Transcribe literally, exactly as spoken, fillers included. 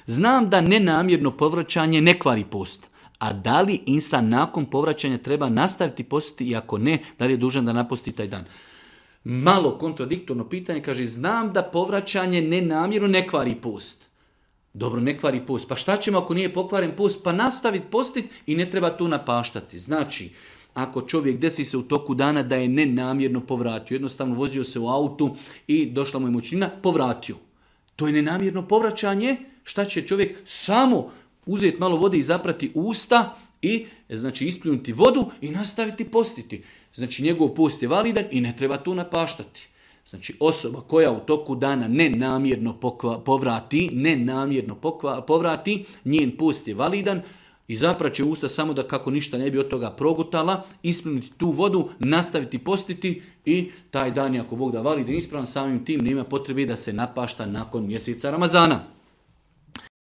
Znam da nenamjerno povraćanje ne kvari post. A da li insan nakon povraćanja treba nastaviti postiti i ako ne, da li je dužan da naposti taj dan? Malo kontradiktorno pitanje, kaže, znam da povraćanje nenamjerno ne kvari post. Dobro, ne kvari post. Pa šta ćemo ako nije pokvaren post? Pa nastaviti postit i ne treba tu napaštati. Znači, ako čovjek desi se u toku dana da je nenamjerno povratio, jednostavno vozio se u autu i došla mu je mučnina, povratio. To je nenamjerno povraćanje. Šta će čovjek? Samo uzeti malo vode i zaprati usta i znači ispljunuti vodu i nastaviti postiti. Znači njegov post je validan i ne treba tu napaštati. Znači osoba koja u toku dana nenamjerno pokva, povrati, nenamjerno pokva, povrati, njen post je validan i zapraće usta samo da kako ništa ne bi od toga progutala, ispljunuti tu vodu, nastaviti postiti i taj dan je ako Bog da validan ispravan, samim tim nema potrebe da se napašta nakon mjeseca Ramazana.